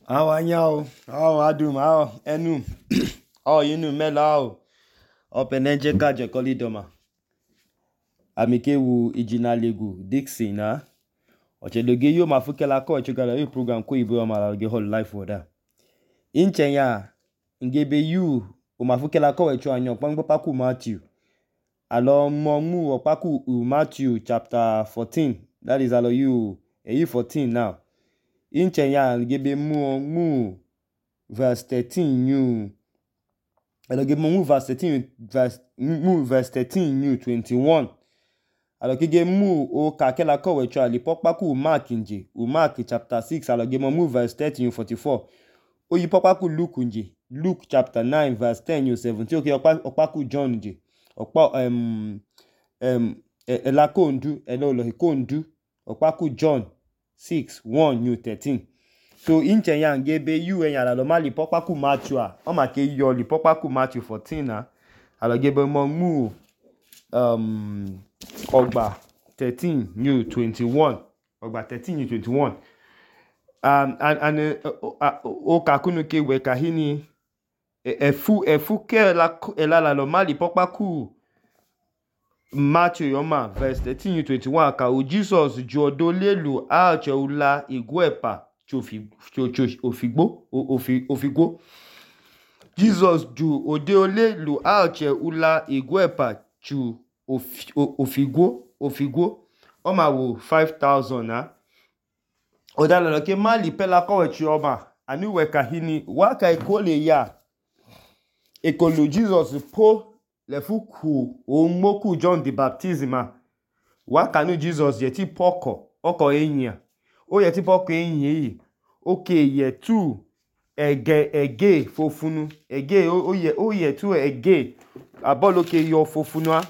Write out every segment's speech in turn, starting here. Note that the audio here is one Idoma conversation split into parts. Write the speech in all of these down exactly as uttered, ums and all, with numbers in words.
How anyao, how adum, how enum, how yinu melao, openenje kaje kolidoma. Amike wu ijina legu Dixie na. Oche doge yo mafuke la ko chugala yu program ko ibo ma la ge whole life oda. Inche ya ngebe yu o mafuke la ko echo anyo pangbo paku Matthew. Alo mo mu opaku Matthew chapter fourteen. That is alo you e you fourteen now. Inche ya ngebe mu mu verse thirteen you. Alo ge mu verse thirteen verse mu verse thirteen you twenty-one. Alo ge mu o ka ke la ko echo ali popaku Mark nje. U Mark chapter six alo ge mu verse thirteen forty-four. O yi popaku Luke nje. Luke chapter nine verse ten you seventeen. Okay, opaku John nje. Opa um um ela ko ndu elo lo ko ndu opaku John six one you thirteen. So inche ya ngebe yu en ya lo mali popaku Matthew a o ma ke yo li popaku Matthew fourteen na alo gebe mo mu um ogba thirteen you twenty-one ogba thirteen you twenty-one. Um and and o ka kunu ke we ka hini efu efu ke la ela la lo mali popaku Matthew yoma verse thirteen you twenty-one ka o Jesus ju odo lelu a che ula igwepa chofi ofigbo ofigbo. Jesus ju ode olelu a che ula igwepa chu ofigbo ofigbo. O ma wo five thousand na. Oda lo ke mali pela ko we chi oma ani we ka hini wa ka ikole ya ekolo Jesus po le fuku o moku John the baptism wa kanu Jesus ye ti poko oko eyin o ye ti poko eyin yi o ke ye tu ege ege fofunu ege o ye o ye tu ege abolo ke yo fofunu a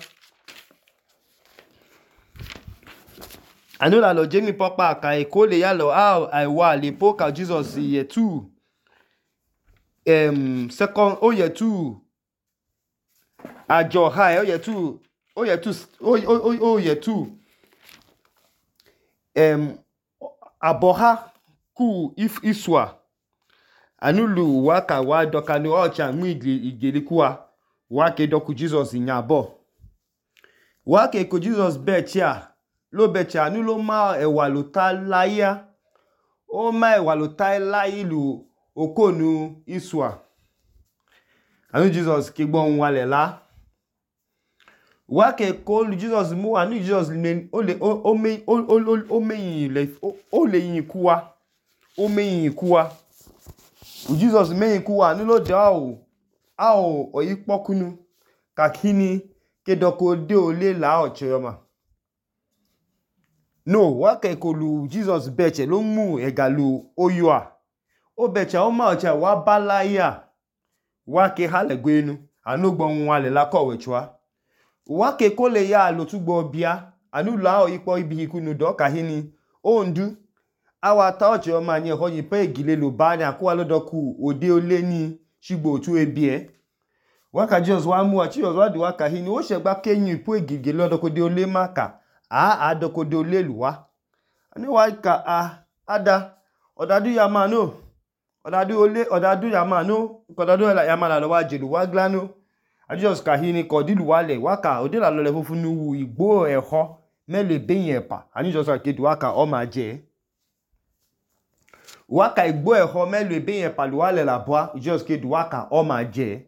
anu la lo jemi popa ka ekole ya lo a ai wa le po ka Jesus ye tu um second o ye tu ajo high o ye tu o ye tu o o o ye tu um aboha ku if iswa anulu waka wa dokanu ocha mu igelikuwa wa ke doku Jesus nyabo wa ke ko Jesus becha lo becha anulo ma ewa lo ta laya o ma ewa lo ta lailu okonu iswa anu Jesus ke gbon wale la wa ke ko Jesus mu anu Jesus le o le o me o me le o le yin kuwa o me yin kuwa Jesus me yin kuwa anu lo da o a o oyipokunu kakini ke doko de o le la o cheyoma no wa ke ko lu Jesus beche lo mu egalu oyoa o beche o ma ocha wa balaya wa ke halegwenu anu gbon wale la ko wechwa wa ke ko le ya lo tugbo bia anu la o ipo ibi ikunu do ka hini o ndu awa ta oche o ma ni ho yin pe igile lo ba ni akuwa lo doku ode ole ni shigbo tu ebie wa ka Jesus wa mu a Jesus wa di wa ka hini o se gba keyin ipo igige lo doko de ole maka a a doko de ole luwa ani wa ka a ada odadu ya ma no odadu ole odadu ya ma no odadu ya ma la lo wa jelu wa glano a Jesus ka hini ko dilu wale wa ka ode la lo le fufunu wu igbo eho mele beyin epa ani Jesus ka du wa ka o ma je wa ka igbo eho mele beyin epa lu wale la boa Jesus ke du wa ka o ma je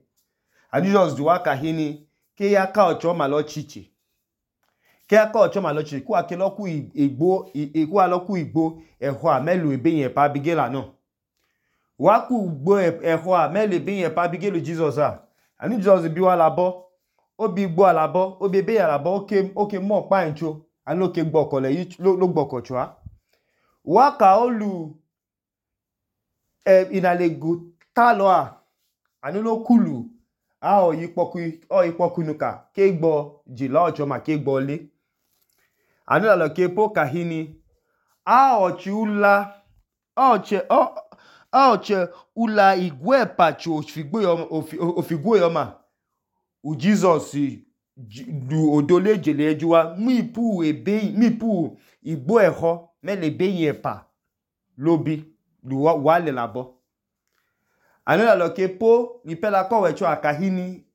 ani Jesus du wa ka hini ke ya ka ocho ma lo chichi ke ya ka ocho ma lo chichi ku ake lo ku igbo iku a lo ku igbo eho a mele beyin epa bigela no wa ku igbo eho a mele beyin epa bigelu Jesus a ani Jesus bi wa labo o bi gbo alabo o bebe alabo o ke o ke mo pa ncho ani lo ke gboko le yi lo gboko chwa wa ka olu eh inalegu talo a ani lo kulu a o yi poku o yi poku nuka ke gbo jila ojo ma ke gbo le ani la lo ke po kahini a o chi ula o che o a che ula igwe pacho ofigbo yo ofigbo yo ma u Jesus du odole jele ejuwa mu ipu ebe mi ipu igbo eho mele beyin epa lobi lu wale labo anu la lo ke po lipe la ko wecho akahini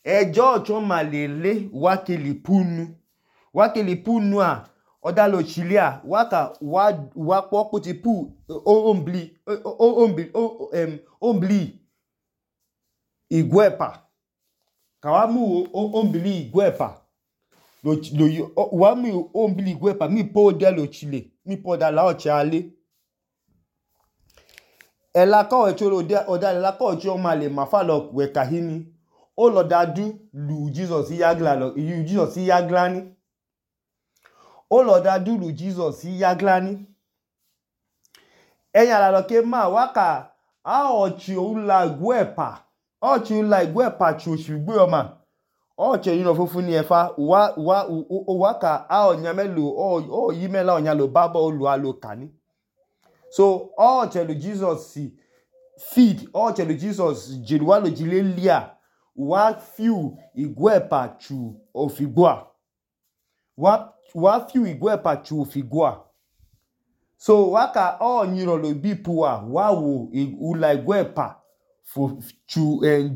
ejo ocho malele wake lipunu wake lipunu a odalo chilia waka wa wa po puti pu ombli ombli em ombli igwepa kawamu ombli igwepa lo lo wa mi ombli igwepa mi po dalo chile mi po da la oche ale ela ko wecho lo de odale la ko ocho male mafalo we kahini o lo dadu lu Jesus yagla lo Jesus yaglani o lo dadu lu Jesus yaglani eyan la lo ke ma waka a ochi o la igwepa ochi la igwepa chu shigbe o ma oche yino fufu ni efa wa wa o waka a onya melo o o yi mela onya lo babo olu alo kani so oche lu Jesus feed oche lu Jesus jiluwa lo jilelia wa fiu igwepa chu ofigwa wa wa fiu igwepa chu ofigwa so waka o nyiro lo bipuwa wa wo ula igwepa fu chu eh,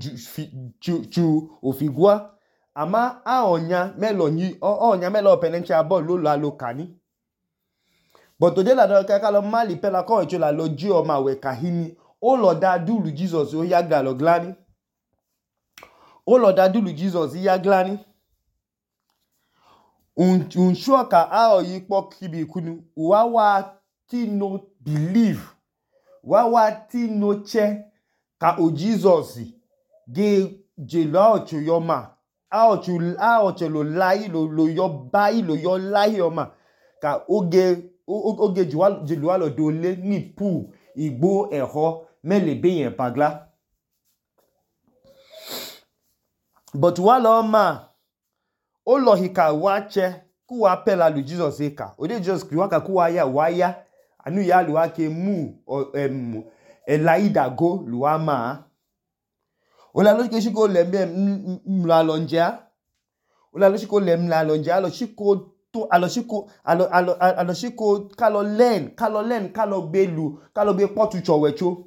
chu chu ofigwa ama a onya melo nyi o onya melo penenche abo lo la lo kani but today la do ka lo mali pe la ko echo la lo ji o ma we kahini o lo da dulu Jesus o yaga lo glani o lo da dulu Jesus yaglani un un shoka a o yi po kibi kunu wa wa ti no believe wa wa ti no che ka o Jesus ge je lo ocho yo ma a ocho a ocho lo lai lo lo yo bai lo yo lai o ma ka oge oge juwa jeluwa lo dole ni pu igbo eho mele be yen pagla but wa lo ma o lo hika wa che ku wa pela lu Jesus eka o de Jesus ki wa ka ku wa ya wa ya anu ya lu wa ke mu em elaida go lu wa ma o la lo ke shi ko le mbe mla lonja o la lo shi ko le mla lonja lo shi ko to alo shi ko alo alo alo shi ko ka lo learn ka lo learn ka lo gbe lu ka lo gbe potu chowecho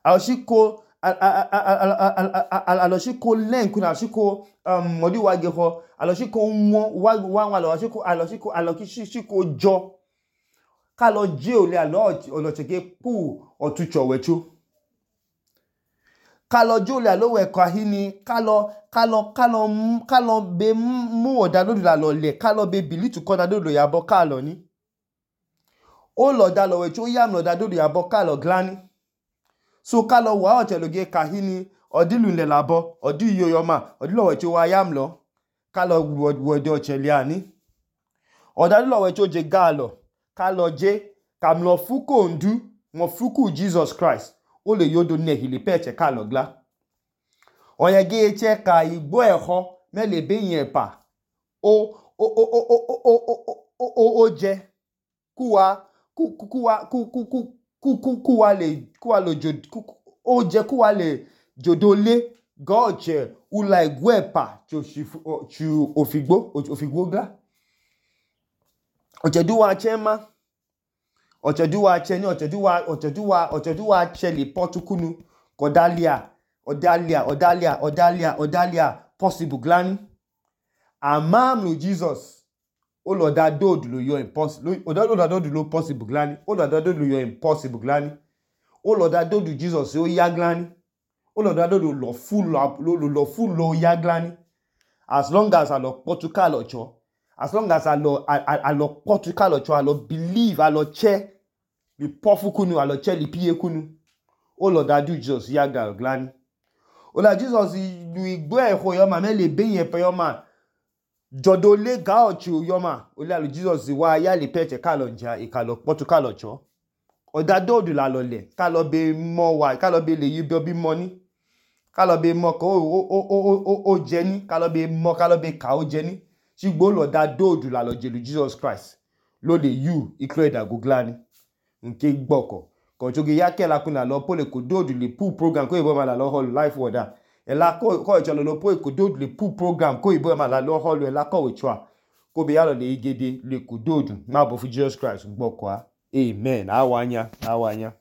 alo shi ko alo shi ko learn kuna shi ko um modi wa ge ho alo shi ko won wa wa wa lo shi ko alo shi ko alo ki shi ko jo ka lo je ole alo olo cheke pu otu chowecho ka lo jo ole alo we kahini ka lo ka lo ka lo ka lo be mu oda lo la lo le ka lo be bili tu ko da do ya bo ka lo ni o lo da lo we cho yam lo da do ya bo ka lo glani so ka lo wa o te lo ge kahini odilu le labo odi yoyo ma odilo we cho wa yam lo ka lo wo de o chele ani oda lo we cho je ga lo ka lo je kam lo fuko ndu mo fuku Jesus Christ o le yodo ne hili peche ka lo gla oye ge che ka igbo eho mele be yen pa o o o o o o o o o je kuwa ku kuwa ku ku ku ku kuwa le kuwa lo jo o je kuwa le jodole goje ula igwepa chu chu ofigbo ofigbo gla ocheduwa chema ocheduwa cheni ocheduwa ocheduwa ocheduwa cheli potukunu kodalia odalia odalia odalia odalia possible glani amam lo Jesus o lo da do lo yo impossible o da do da do lo possible glani o lo da do lo yo impossible glani o lo da do Jesus o ya glani o lo da do lo full lo lo full lo ya glani as long as I lo Portugal ocho as long as I lo I lo Portugal ocho I lo believe I lo che li pofu kunu I lo che li pie kunu o lo da do Jesus ya glani o la Jesus lu igbo eho yo ma me le be yen pe yo ma jodo le ga ocho yo ma o la lu Jesus wa ya le peche ka lo nja e ka lo Portugal ocho o da do du la lo le ka lo be mo wa ka lo be le yi bi money ka lo be mo ko o o o o je ni ka lo be mo ka lo be ka o je ni sigbo lo da do du la lo je lu Jesus Christ lo le you iklo da googlani nke gboko ko joge ya ke la kuna lo pole ko do du le pu program ko ibo ma la lo hall life water e la ko ko jo lo po ko do du le pu program ko ibo ma la lo hall e la ko we chwa ko be ya lo le igede le ko do du ma bo fu Jesus Christ gboko a amen awanya awanya